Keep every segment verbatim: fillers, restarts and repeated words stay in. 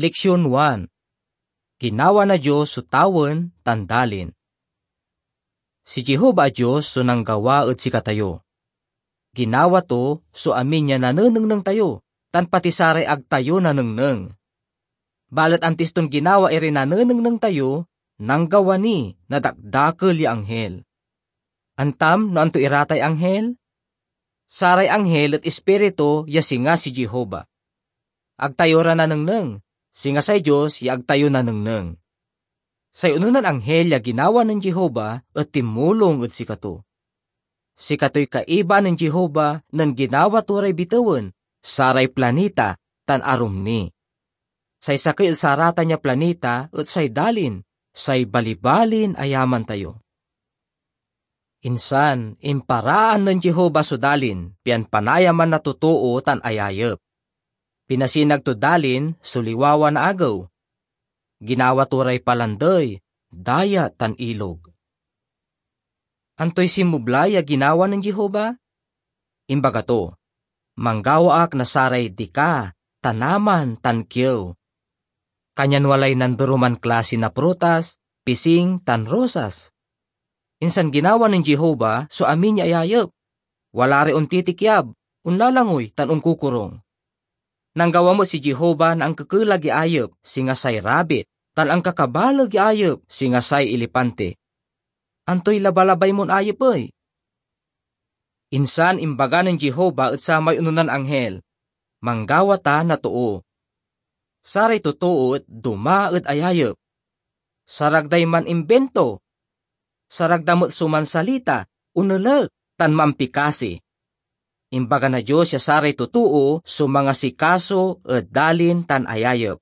Leksion one. Ginawa na Dios so tawen tan dalin. Si Jehovah a Dios so nanggawa ed sikatayo. Ginawa to so amin ya nanenengneng tayo, tan pati saray ag tayo nanengneng. Balet antis ton ginawa iray nanenengneng tayo, nanggawa ni na dakdakel ya anghel. Antam no anto iratay anghel? Saray anghel et ispiritu ya singa si Jehovah. Ag tayo ra nanengneng, singa say Dios ya ag tayo nanengneng. Say ononan anghel ya ginawa nen Jehovah et tinmulong ed sikato. Sikatoy kaiba nen Jehovah nen ginawa to ray bitewen, saray planeta, tan arum ni. Say sakey ed saratan ya planeta et say dalin, say balibalin ayaman tayo. Insan, imparaan nen Jehovah so dalin, pian panayaman na totoo tan ayayep. Pinasinag tod dalin so liwawa na agew. Ginawa to ray palandey, dayat, tan ilog. Antoy sinmubla ya ginawa nen Jehovah? Imbaga to, "Manggawa ak na saray dika, tanaman, tan kiew." Kanyan walay nanderoman klasi na prutas, pising, tan rosas. Insan ginawa nen Jehovah so amin ya ayayep. Wala ray ontitikyab, onlalangoy, tan onkokorong. Nanggawa met si Jehovah na ankekelag ya ayep, singa say rabit, tan ankakabaleg ya ayep, singa say elepante. Antoy labalabay mon ayep ey? Insan imbaga nen Jehovah ed samay ononan anghel, "Manggawa ta na too. Saray totoo et doma ed ayayep. Sarag day manimbinto. Sarag da met so mansalita, onelek, tan mampikasi." Imbaga na Dios ya saray totoo so mangasikaso ed dalin tan ayayep.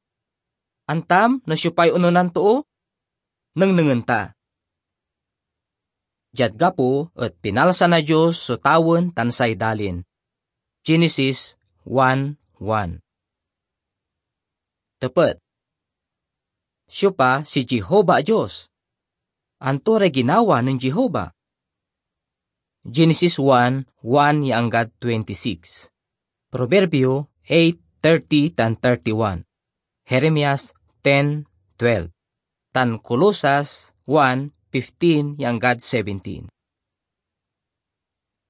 Antam no siopay ononan too? Nengnengen ta. Diad gapo et pinalsa na Dios so tawen tan say dalin. Genesis one one. Tepet. Siopa si Jehovah a Dios? Anto ray ginawa nen Jehovah? Genesis one, one ya anggad twenty-six. Proverbio eight thirty tan thirty-one. Jeremias ten twelve. Tan Colosas one fifteen ya anggad seventeen.